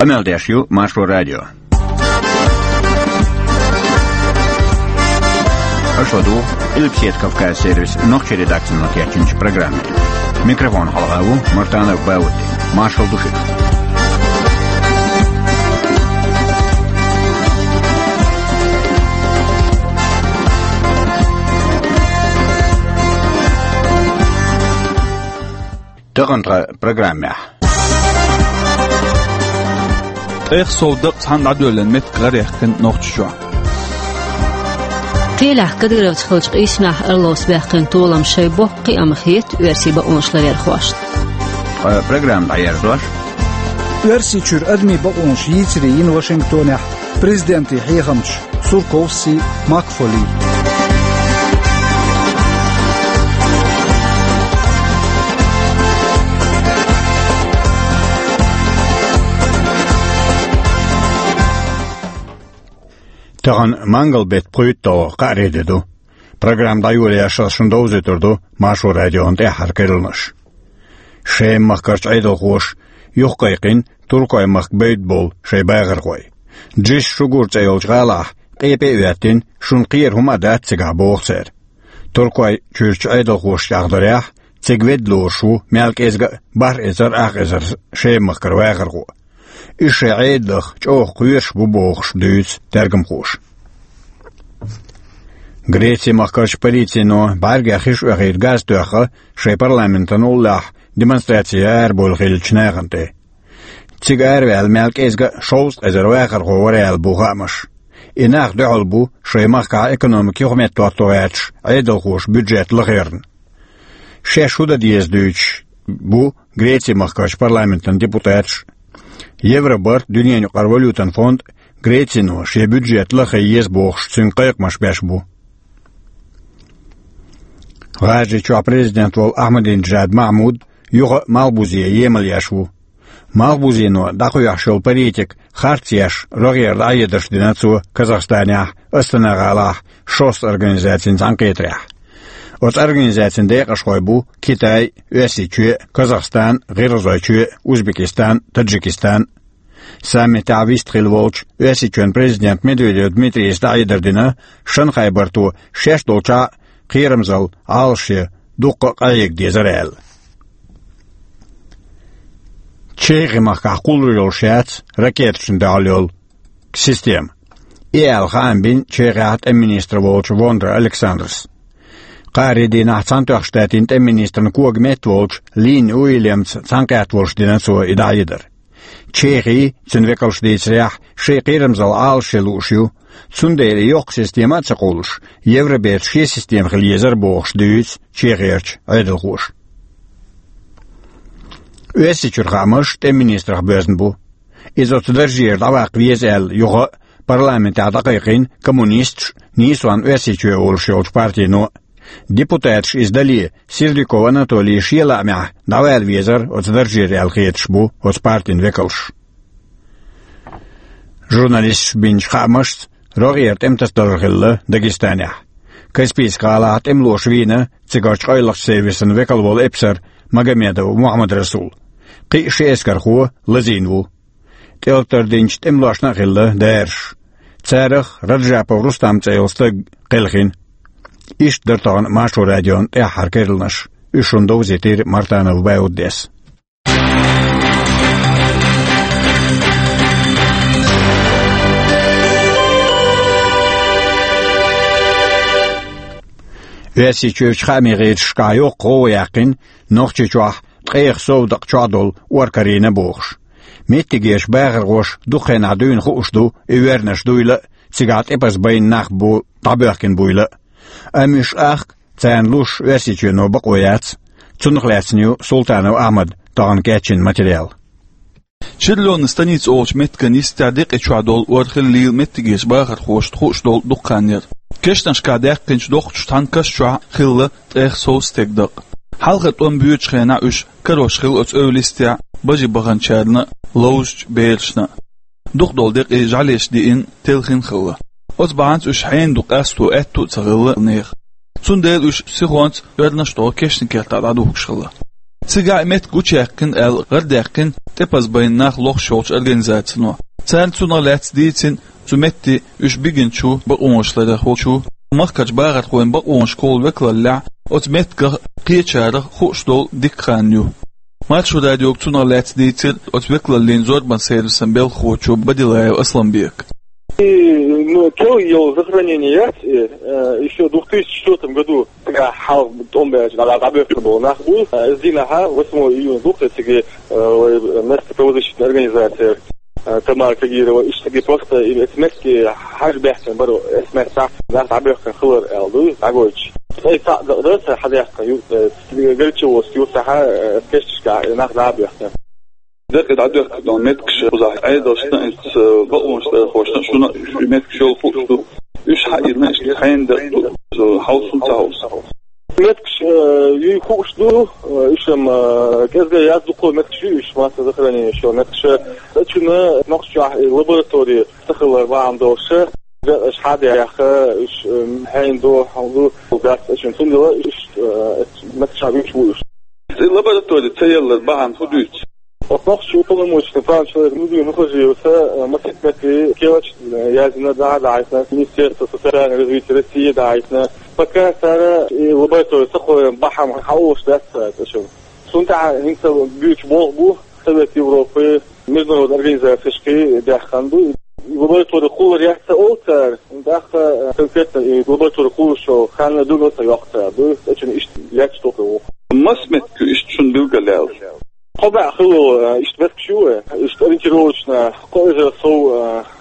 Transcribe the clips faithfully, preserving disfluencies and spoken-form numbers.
Къамел деш ю Маршо радио. Аша ладугӀу Къилбаседа Кавказ сервисан нохчийн редакцино кечйинчу программе. Микрофона хьалха ву Мартанов Баудди. Маршалла ду шуьга. Тахана тхан программехь. ТӀех сов дакъа цхьаьна дӀадоьллина меттиг гӀараяьккхина Нохчийчохь. Кхелехь Кадыровца хиллачу къийсамехь Орловс баьккхина толам шайн боккха кхиам хета оьрсийн бакъонаш ларъярхошна. Ткъа программа дӀаерзош. Оьрсийчуьра адамийн бакъонаш йийцаре йина Вашингтонехь президентийн хьехамчаш Сурковси, Макфоли. Тахана мангал беттан пхуьйтталгӀа, кхаарин де ду. Программа дӀайолош ас шуна довзуьйтур ду Маршо радион тӀаьххьара керланаш. Шема-махкарчу Ӏедалхоша юхакхайкхина Туркойн махка бевдда болу шайн бахархой. Джис-Шугур цӀе йолчу гӀалахь къепе а хӀоьттина, шуна кхера хӀума а дац цигахь, боху цара. Туркойчуьрчу Ӏедалхошна тӀехь дарехь, цига ведда лоруш ву мел кӀезга а бархӀ эзар, ах эзар Шема-махкара вахархо. Уьш шайн Ӏедалх чӀогӀа кхоьруш бу бохуш дуьйцу тергамхоша. Греци-махкарчу полицино бӀаьргех хиш оьхийта газ тоьхна шайн парламентан уллехь демонстраци арабевлла хиллачу нахана тӀе. Цига араваьлла мел кӀезга а шовзткъа эзар вахархо вара аьлла бу хаамаш. И нах дуьхьал бу шайн махкахь экономика юхаметтахӀотто гӀерташ Ӏедалхоша бюджет лахарна. Шаьш хӀун дан деза дуьйцуш бу Греци-махкарчу парламентан депутаташ. Евробарт, дуьненаюкъара валютан фонд, Грецино шен бюджет лаха еза бохуш, цуьнга кхайкхамаш беш бу. ГӀажарийчохь президент волу Ахьмадинеджад Махьмуд юха а Малхбузе емал еш ву. Малхбузено дӀакхоьхьуш йолу политика харц еш, рогӀера дӀахьедарш дина цо Казахстанехь, Астана-гӀалахь шовзткъа организацин цхьаьнакхетарехь. Оцу организацин декъашхой бу Китай, Оьрсийчоь, Казахстан, ГӀиргӀазойчоь, Узбекистан, Таджикистан. Саммитехь вистхилла волчу Оьрсийчоьнан президента Медведев Дмитрийс дӀахьедар дина, Шанхай-барто шаьш долчохь а кхерамзалла Ӏалашъян дуккха а къахьега дезара аьлла. Чехи-махкахь кхуллур йолуш яц ракеташна дуьхьал йолу система. И аьлла хаам бина Чехехь тӀеман министр волчу Вондра Александрас. Кхаарин дийнахь Цхьаьнатоьхначу Штатийн тӀеман министран кога метта волчу Линни Уильямца цхьаьнакхетта волуш дина цо и дӀахьедар. Чехи, цуьнан векалша дийцарехь, шайн кхерамзалла Ӏалашъян лууш ю, цундела и йоккха система а ца кхуллуш, Евробертан шен система хила езара бохуш дуьйцу Чехерчу Ӏедалхоша. Оьрсийчуьра хаамаш тӀеман министрах боьзна бу. Иза оцу даржера дӀаваккха веза аьлла, юха а парламентехь дӀакхайкхийна коммунисташ, нийсонан Оьрсийчоь олуш йолчу партино. Депутаташа иза дале, Сердюков Анатолий шен лаамехь дӀавала везара оцу даржера аьлла хеташ бу оцу партин векалш. Журналисташа бинчу хаамашца, рогӀера тӀематасадалар хилла Дагестанехь. Каспийск-гӀалахь тӀемалоша вийна цигарчу къайлахчу сервисан векал волу эпсар Магомедов Мухьаммад-Расул. Кхин а ши эскархо лазийна ву. ТӀелатар динчу тӀемалошна а хилла дараш. Царах Раджапов Рустам цӀе йолу стаг кхелхина. Иштта дара тахана Маршо радион тӀаьххьара керланаш. Уьш шуна довзийтира Мартанов Бауддис. Оьрсийчуьрчу хаамийн гӀирсашкахь йоккха гӀовгӀа яьккхина Нохчийчохь ткъех сов дакъа чохь долу ор карийна бохуш. Меттигерчу бахархоша дукха хенахь дуьйна хууш ду и воьрнаш дуйла а, цигахь тӀепаза байна нах бу дӀабоьхкина буйла а. Амма уьш ахка, царна луш Оьрсийчоьно бакъо яц. Цунах лаьцна ю Султанов Ахьмада тахана кечйина материал. Черлёвна станица олучу меттиган йистехь декъе чохь долу ор хиллийла меттигерчу бахархошна хууш долу дукха хан яра. Кешнашкахь даьккхинчу доккхачу цхьана каш чохь хилла ткъех сов стеган дакъа. Хьалха тӀом боьдучу хенахь уьш карош хилла оцу эвла йистехь бажи баханчарна а, ловзучу берашна а. Дукха долу декъий жӀаьлеша диъна, телхина хилла. Оцу бахьанца уьш хьенан ду къасто аьтту а ца хилла нехан. Цундела уьш сихонца оьрнаш а тохуш кешнийн кертахь дӀадухкуш хилла. Цигахь меттиг гучуяьккхина аьлла гӀарадаьккхина тӀепаза байна нах лохуш йолчу организацино. Царна цунах лаьцна дийцина цу метте уьш бигинчу бакъонаш ларъярхочо, махкарчу бахархойн бакъонаш кхоллу векаллехь оцу меттигах кхечарах хууш долу дика хан ю. Маршо радиога цунах лаьцна дийцира оцу векаллин зорбан сервисан белхахочо Бадилаев Асламбека. И, ну, то йолу захоронение яц, и, э, ещё в две тысячи четвёртом году, цигахь хьалха тӀом баьлча дӀа-, дӀабоьхкина болу нах бу, э, иза дийнахь, восьмого июня, дукха цига, э, вай, э, местоправозащитная организация, э, Тамара Кагирова, иштта цига просто, и эцу меттиге хьажа баьхкина бара, эцу меттехь нах дӀабоьхкина хилар аьлла ду, дӀагойтуш. Ай, цхьаъ д-, дан цара хьадаьккхина, ю-, э, Грачевоцкий юьртахь, э, кешташкахь нах дӀабоьхкина. Декъий дӀадоьхкина меткаш кхузахь Ӏедалшна, иза бакъонаш ларъярхошна, шуна уьш меткаш йолу хууш ду. Уьш хьаийна, иштта хьенан дакъа ду, хьовсун ца хьовсу. Меткаш, э, юй хууш ду, э, уьш-м, э, кӀезга яц, дукха меткаш ю, уьш массового захоронения йолу меткаш. Цу чуьра Нохчийчохь и лаборатори ца хилар бахьана долуш, декъаш хьадаьхна, уьш, э, хьенан ду, хьан ду, дац цу чуьра. Цундела уьш, э, меткаш хьан вуьйцуш ву уьш. И лаборатори ца ялар бахьана хӀун дуьйцу? Оцу нохчийн уполномоченный права человека Людмила Мухажиеваца, э, масситта метте кечам, э, яздина, дӀа а даьхкина, Министерство социального развития России дӀа а даьхкина. Пока цара и лаборатори ца кхоьллина бахьана хьан олуш дац цара цу чуьра. Цунна тӀехь хӀинца буьйцуш болх бу Совет Европы, международная организацияшкахь даьхна ду. И лаборатори кхоллар яц ца олу цара, тӀаккха, э, конкретно и лаборатори кхуллуш йолу хан билгал ца йоккху цара, ду, цу чуьра иштта лаьтташ тоху ву. Маса метка ю иштта шуна билгалъяьлла? Кхо бӀе хилла, э, иштта меткаш ю, э, иштта ориентировочно, кхо эзар сов,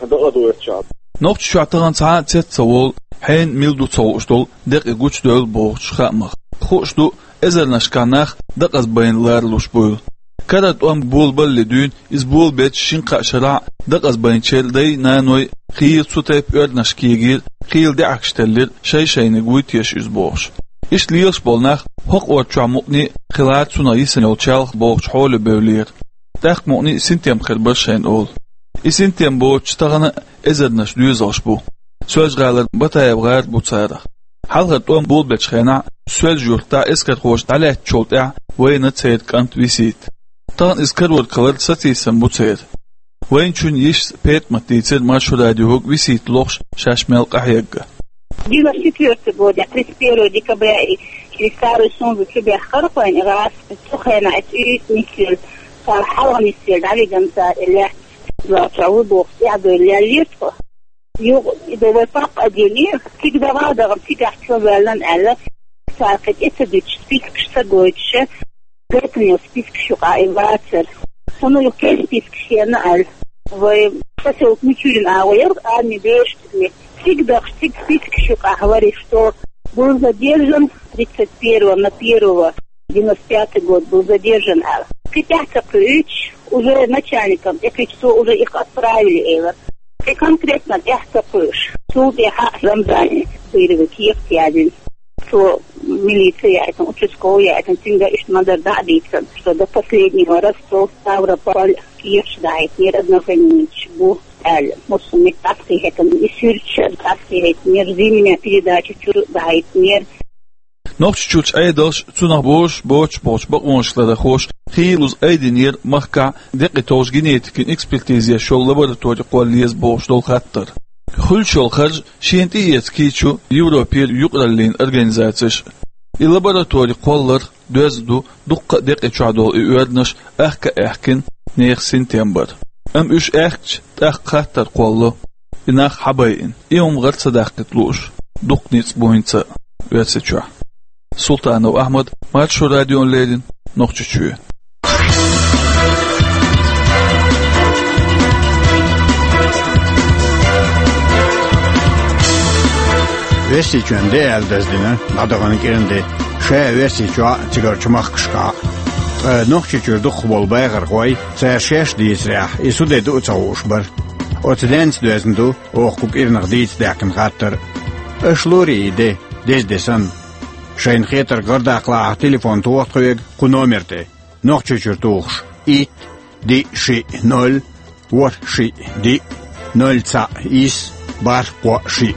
э, дакъа ду оцу чохь. Нохчийчохь тахана цхьа а цец ца волу, хьенан мила ду ца хууш долу декъий гучудевлла бохучу хаамах. Хууш ду, эзарнашкахь нах декъаза байна ларалуш буйла. Карара тӀом болабалале дуьйна, иза болабечу шина-кхаа шарахь декъаза байначеран дай-наной хийла цу тайпа оьрнаш кегийра, хийла даьӀахкаш теллира, шай-шайниг вуй теша иза бохуш. Иштта лелаш болу нах хӀокху орчохь мукъане а хилла цунах йисина йолу чалх бохучу хьоле бевллера. ТӀаккха мукъане а синтем хир бара шайна олу. И синтем боцуш тахана а эзарнаш доьзалш бу. Соьлжа-ГӀалара Батаев-гӀар бу царах. Хьалхара тӀом болабечу хенахь, Соьлжа-Юьртахь эскархоша дӀалаьцначул тӀаьхьа вайна церан кӀант Висита. Тахана иза карор кхалар сацийсам бу церан. Вайначун йишас ПетӀамат дийцира Маршо радиога Висита лохуш шаьш мел къахьегна. Девяносто четвёртый год, я тридцать первого декабря и через Старую Сунзу чу баьхкира вайна, и гӀазкхи цу хенахь и цӀуьйца нисвелла, цара хьалха нисвелла, дӀавигна цара и лаьтта. Завтра ву боху, тӀаьхьа дуйла леллера тхо. Юха и до вай папа а дели, цига дагӀа а дахана, цигахь чо ваьллан аьлла, цара кхин тӀе ца дуьтуш, спискаш ца гойтуш, гайтина йолу спискаш юкъахь и вацара. Цунна юха кхин спискаш хиъна аьлла. Вай посёлок Мичурин агӀо яра, арми бешаш цига. Цига дахча, цига спискаш юкъахь вара, что был задержан тридцать первого на первого девяносто пятый год был задержан аьлла. Кхин тӀаьхьа ца кхуьуьйтуш, уже начальникам тӀекхуьучу, цо уже их отправили элира. Кхин конкретно тӀаьхьа ца кхуьуш. Цул тӀаьхьа Рамзане Бырове кехат яздина. Цо милице яийтина, участковый яийтина, цуьнга иштта ма-дарра дӀа а дийцина, что до последнего раза цо Ставрополь кехаташ дахьийтинера, однофамильцаш бу аьлла. Массо а меттехь дӀакхехьийтина, и суьрташ дӀакхехьийтинера, зимняя передача чуьра дахьийтинера. Нохчийчуьрчу Ӏедалша, цунах бозуш боцуш болчу бакъонаш ларъярхоша хийлаза айдинера махкахь декъий толлуш генетикан экспертиза еш йолу лаборатори кхолла еза бохуш долу хаттар. Хуьлуш йолу харж шена тӀеэца кийча ю Европера юкъараллин организацеш. И лаборатори кхолларх доьзна ду дуккха а декъий чохь долу и оьрнаш аьхка а аьхкина, нехан синтем бар. Амма уьш аьхкича, тӀаккха хаттар кхоллало, и нах хьан байина, и хӀума гӀара ца даккхийта лууш, дуккха ницкъ бу хӀинца а Оьрсийчохь. Султанов Ахьмад, Маршо радиона леррина, Нохчийчоь. Оьрсийчоьнан де аьлла даздина дӀадахана кӀиран де, ша Оьрсийчохь а, цигарчу махкашкахь а. Ткъа Нохчийчуьра дукхахболу бахархой, цара шаьш дийцарехь, и цу де ду а ца хууш бара. Оцу денца доьзна ду оха кху кӀиранах дийца даьккхина хаттар. Аша лорий и де, деза де санна. Шайна хетарг гӀардаккхалахь, телефон тоха тхоьга кху номер тӀе. Нохчийчуьра тухуш: итт, диъ, шиъ, ноль, ворхӀ, шиъ, диъ, ноль, цхьаъ, исс, бархӀ, кхоъ, шиъ.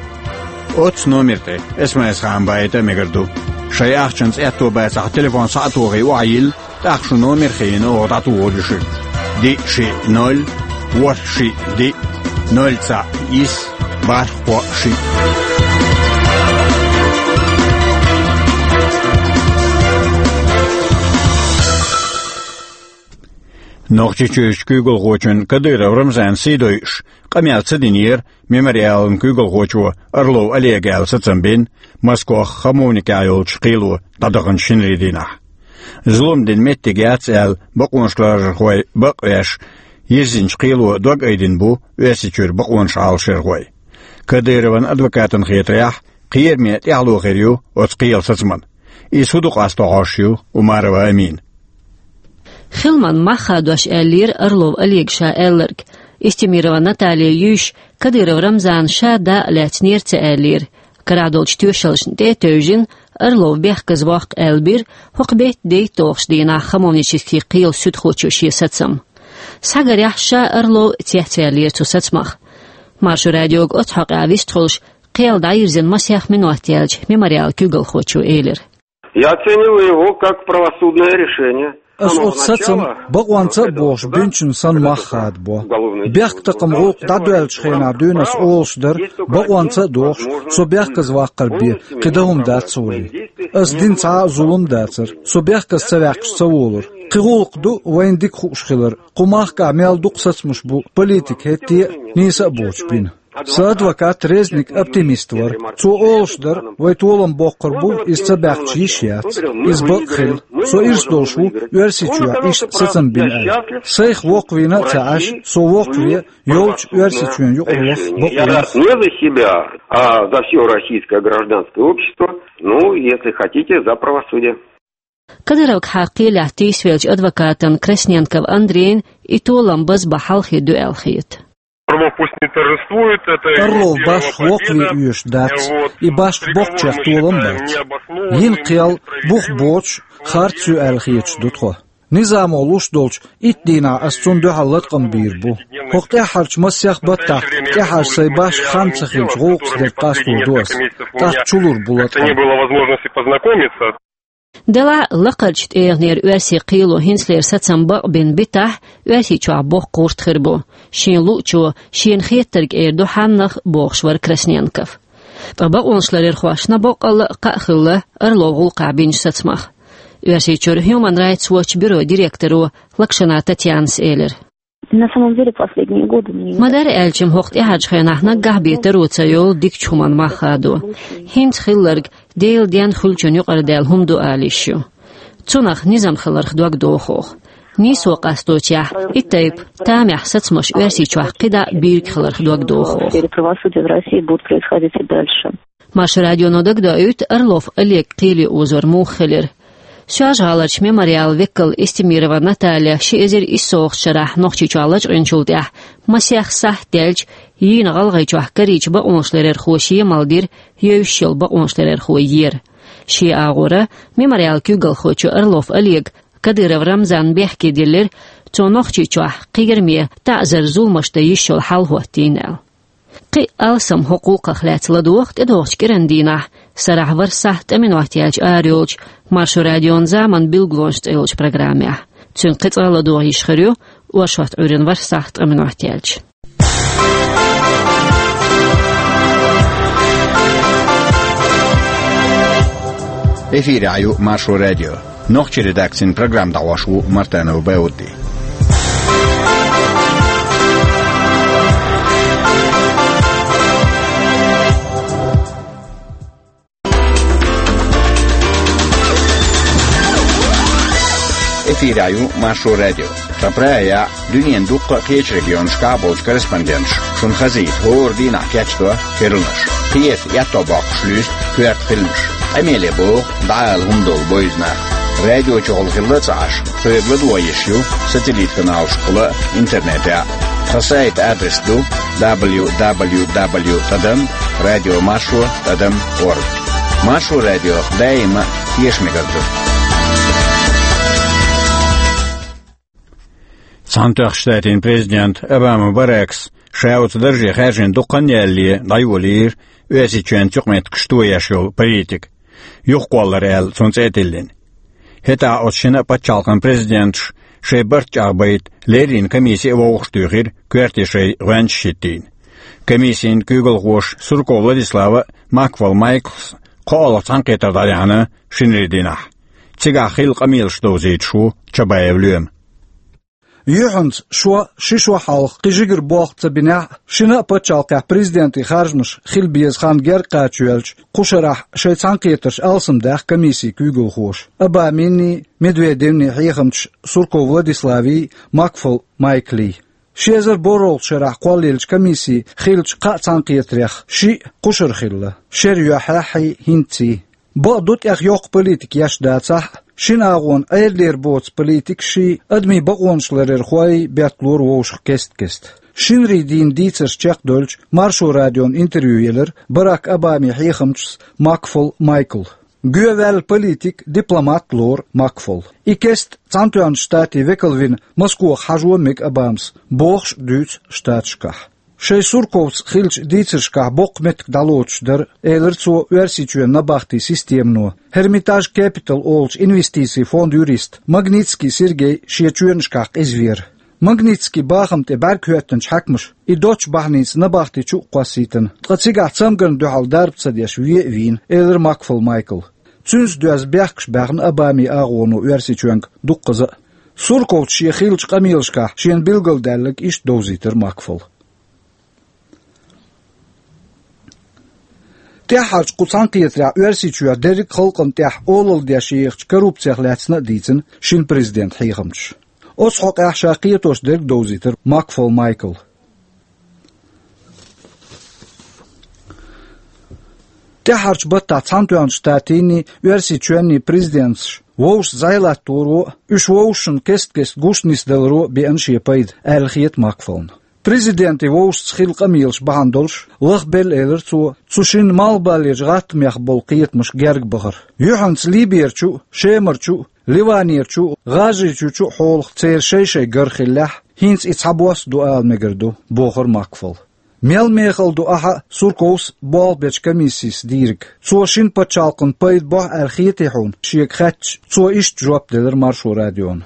Оццу номер тӀе СМС-хаам баийта а мегар ду. Шайн ахчанца аьтто бацахь, телефон схьа а тохий, охьайилла, ТӀаккха шун номер хьийна оха дӀатухур ю шуьга: диъ шиъ ноль, ворхӀ шиъ диъ, ноль цхьаъ исс, бархӀ кхоъ шиъ. Нохчийчуьрчу куьйгалхочун Кадыров Рамзана сий дойуш, къамел ца динера Мемориалан куьйгалхочо Орлов Олега аьлла сацам бина Москвахь Хамовникехь йолчу кхело дӀадаханчу шинарин дийнахь. Зулам дина меттиг яц аьлла, бакъонашларархой бакъвеш, йирзинчу кхело дог айдина бу Оьрсийчуьра бакъонаш Ӏалашъярхой. Кадыровн адвокатан хетарехь, кхераме тӀаьхьало хир ю оцу кхелан сацаман. Иза хӀун ду къасто хьожуш ю Умарова Амина. Хиламан мах хадош аьллера Орлов Олега ша аьлларг. Истемирова Наталья юьйш, Кадыров Рамзана ша дакъа лаьцнера ца аьллера. Карахь долчу тоьшаллашна тӀе а тевжина, Орлов бехказа воккху аьлла бира, хӀокху беттан дейтталгӀачу дийнахь Хамовнически кхелан суьдхочо шен сацам. Схьагарехь, ша Орлов цецваьллера цу сацамах. Маршо радиога оцу хьокъехь вистхуьлуш, кхел дӀайирзина масех минот яьлча, Мемориалан куьйгалхочо элира: Я оцениваю его как правосудное решение. Ас оцу сацам бакъонца а бохуш бинчун санна мах хадабо. Бехктакхаман гӀуллакх дӀадоьллачу хенахь дуьйна ас олуш дара, бакъонца а дохуш, со бехказа ваккхар бен, кхин дан хӀума дац цо валий. Ас дина цхьа а зулам дацара, со бехказа ца ваьккхича ца волура. Кхин гӀуллакх ду вайна дика хууш хилар, кху махкахь мел дукха сацамаш бу политика хӀетте а, нийса а боцуш бина. Сан адвокат Резник оптимист вара. Цо олуш дара, вай толам боккхур бу, иза ца баьккхича йиш яц. Иза бакъ хилла. Со ирс долуш ву, Оьрсийчохь иштта сацам бина аьлла. Сайх воккхавийна а ца Ӏаш, со воккхаве, йолчу Оьрсийчоьнан юкъара ваха бакъо ю. Не за себя, а за всё российское гражданское общество. Ну, если хотите, за правосудие. Кадыровгахьа кхелехь тийсавеллачу адвокатан Красненков Андрейн и толам базбан хьалхе ду аьлла хета. Орлов пусть не торжествует, это его первая победа. Орлов башха воккхаве оьшуш дац, и башха боккхачех толам бац. Йина кхел бух боцуш, харц ю аьлла хеташ ду тхо. Низамо луш долчу итт дийнахь ас цунна дуьхьал латкъам бийр бу. ХӀокху тӀаьххьарчу массех баттахь тӀаьххьара сайн башха хан ца хилча гӀуллакхаш дерг къасто ду ас. ТӀаккха чулур бу латкъам. Делахь а, лакхарчу тӀегӀанера оьрсийн кхело хӀинцалера сацам бакъбина битахь, Оьрсийчохь боккха гӀурт хир бу. Шен луъчо шена хеттарг эр ду хьаннах, бохуш вара Красненков. Ткъа бакъонашларъярхошна боккъалла а кхаъ хилла Орлов гӀуллакхахь бинчу сацамах. Оьрсийчуьра Human Rights Watch бюрон директоро Лакшина Татьянас элира. На самом деле, последние годы мне не... Ма-дарра аьлча-м, хӀокху тӀаьхьарчу хенахь наггахь бен таро ца йолу дикачу хӀуманна мах хадо. ХӀинца хилларг Делан денна хуьлучун юкъара даьлла хӀума ду ала йиш ю. Цунах низам хиларх дог доху оха. Нийсо къасточехь, и тайпа тамехь сацамаш Оьрсийчохь кхидӀа а бийриг хиларх дог доху оха. В сфере правосудия в России будут происходить и дальше. Маршо радионо дагадоуьйту Орлов Олег кхеле озор муха хилира. Соьлжа-ГӀаларчу Мемориалан векал Истемирова Наталья ши эзар иссалгӀачу шарахь Нохчийчохь лачкъийначул тӀаьхьа масех сахьт даьлча, йийна ГӀалгӀайчохь карийча бакъонашларъярхоша емал дира евзаш йолу бакъонашларъярхо ера. Шен агӀора Мемориалан куьйгалхочо Орлов Олега Кадыров Рамзанна бехке диллира, цо Нохчийчохь кхераме, таӀзар-зуламаш дан йиш йолу хьал хӀоттийна аьлла. Кхин а алсам хӀокху гӀуллакхах лаьцна ладогӀа тӀедогӀучу кӀиран дийнахь, сарахь ворхӀ сахьт ткъа минот яьлча арайолчу Маршо радион «Заман билгалонаш» цӀе йолчу программехь. Цуьнга кхин цкъа а ладогӀа йиш хир ю оршот Ӏуьйранна ворхӀ сахьт ткъа минот яьлча. Эфирехь ю Маршо радио. Нохчийн редакцин программа дӀахьош ву Мартанов Баудди. Эфирехь ю Маршо радио. Ткъа прагӀа дуьненан дуккха а кхечу регионашкахь болчу корреспонденташа шуна хазийта хӀора дийнахь кечдо керланаш. Кхета, аьтто боккхуш луьйста коьрта хиламаш. Къамеле боху, дӀаала хӀума долу бойза нах. Радио чухула хилла а ца Ӏаш, соьга ладогӀа йиш ю сателлит-каналашкахула а, интернетехь а. Тхан сайтан адрес ду: дабл ю дабл ю дабл ю тӀадам радио маршо тӀадам орг. Маршо радио даима а теша мегар ду. Цхьаьнатоьхначу Штатийн президента Обама Барака ша оцу дарже хаьржина дукха хан ялале дӀайолийра Оьрсийчоьнца юкъаметтигаш тоеш йолу политика. Юхакхоллар аьлла, цунна цӀе а тиллина. ХӀетахь оцу шина а пачхьалкхан президенташ шайн барт чӀагӀбайта леррина комисси а вовшахтуьйхира, коьрте шайн гӀоьнчаш хӀиттийна. Комиссин куьйгалхоша Сурков Владислава а, Макфол Майклс а кхоалгӀа цхьаьнакхетар дӀаяьхьна шинарин дийнахь. Цигахь хилла къамелаш довзуьйтуш ву Чабаев Лоьма. Юьхьанца шо, ши шо хьалха кхин жигара болх ца бинехь а, шина а пачхьалкхехь президентийн харжамаш хила беза хан герга кхача йоьлча, кху шарахь шайн цхьаьнакхетарш алсамдаьхна комиссин куьйгалхоша Обамин а, Медведевн а хьехамчаш Сурков Владиславий а, Макфол Майклий. Ши эзар борхӀалгӀачу шарахь кхоллаеллачу комиссин хиллачу кхаа цхьаьнакхетарех шиъ кху шарахь хилла, шера юьххьехь а, хӀинцций. Бакъду, тӀех йоккха политика еш дацахь а, шина агӀонан Ӏедалера боцу политикашший, адамийн бакъонаш ларъярхой бетталора вовшах кест-кеста. Шинарин дийнан дийцарш чекхдевлча, Маршо радиона интервью елира Барак Обамин хьехамчас Макфол Майкла. Гоьваьлла политик, дипломат лору Макфол. И кеста Цхьаьнатоьхначу Штатийн векал вина Москвахь хьажо мега Обамас, бохуш а дуьйцу Штаташкахь. Шайн Сурковца хиллачу дийцаршкахь боккха меттиг дӀалоцуш дара, элира цо, Оьрсийчоьнан набахтийн системано. Hermitage Capital олучу инвестицийн фондан юрист Магнитский Сергей шен чоьнашкахь къиза веара. Магнитскийн бахам тӀе бӀаьрг хӀоьттинчу хьаькамаша и доцчу бахьаница набахти чу а кхоссийтина, ткъа цигахь цамгарна дуьхьал дарба ца деш ве а вийна, элира Макфол Майкла. Цуьнца доьзна бехкаш баьхна Обамин агӀоно Оьрсийчоьнга дуккхаза а. Сурковца шен хиллачу къамелашкахь шена билгалдаьлларг иштта довзийтира Макфола. ТӀаьххьарчу кху цхьаьнакхетарехь Оьрсийчохь дерриг а халкъана тӀехь олалла деш ехачу коррупцех лаьцна а дийцина шина президентан хьехамчаша. Оцу хьокъехь ша кхетош дерг довзийтира Макфол Майкла. ТӀаьххьарчу баттахь Цхьаьнатоьхначу Штатийн а, Оьрсийчоьнний а президенташ вовшашца зӀе латтаро а, уьш вовшашна кест-кеста гуш нисдаларо а беана шен пайда, аьлла хета Макфолна. Президентийн вовшашца хилла къамелаш бахьана долуш лахбелла, элира цо, цу шинна малхбалерчу гӀаттамех болу кхетамаш герга бахар. Юьхьанца Либерчу а, Шемарчу а, Ливанерчу а, ГӀажарийчуьрчу а хьолах церан шай-шай гар хиллехь, хӀинца и цхьабосса ду ала мегар ду, бохура Макфола. Мел мехала ду ахьа а, Сурковс а болх бечу комиссис дийриг? Цо шина пачхьалкхана пайда бохьу аьлла хетий хьуна, шега хаьттича, цо иштта жоп делира Маршо радиона.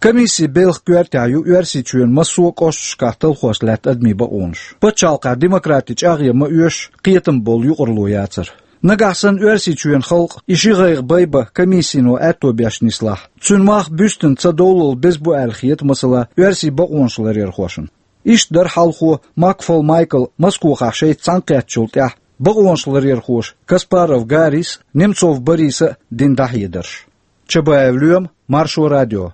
Комиссин белхан коьртехь ю Оьрсийчоьнан массо а кӀошташкахь талхош лаьтта адамийн бакъонаш. Пачхьалкхехь демократи чӀагӀъян ма оьшу, кхетам болу юкъаралла яцара. Нагахь санна Оьрсийчоьнан халкъ и ши гӀайгӀа байбан комиссино аьтто беш нислахь, цуьнан мах буьстина ца довлалла беза бу аьлла хета, масала, оьрсийн бакъонаш ларъярхошна. Иштта дара хьалхо Макфол Майкла Москвахь шайца цхьаьнакхеттачул тӀаьхьа бакъонаш ларъярхоша Каспаров Гаррис а, Немцов Бориса а дина дӀахьедарш. Чабаев Лоьма, Маршо радио.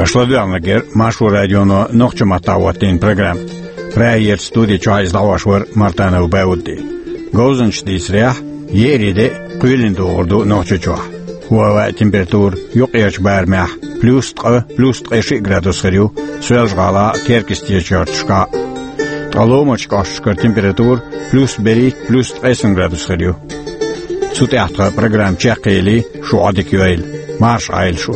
Аша ладоьгӀнарг яра Маршо радионо нохчийн маттахь хӀоттийна программа. Прагерчу студи чохь иза дӀахьош вара Мартанов Баудди. Говзанчаш дийцарехь, еарин де а, кхоьлина догӀур ду Нохчийчохь. ХӀоттийна температура юккъерчу барамехь плюс ткъа, плюс ткъе шиъ градус хир ю Соьлжа-ГӀалахь а, Теркйистечу ярташкахь а. Ткъа ломачу кӀошташкара температура плюс берхӀитта, плюс ткъе сан градус хир ю. Цу тӀехь тхан программа чекхъели, шу Ӏодика йойла. Марша Ӏойла шу.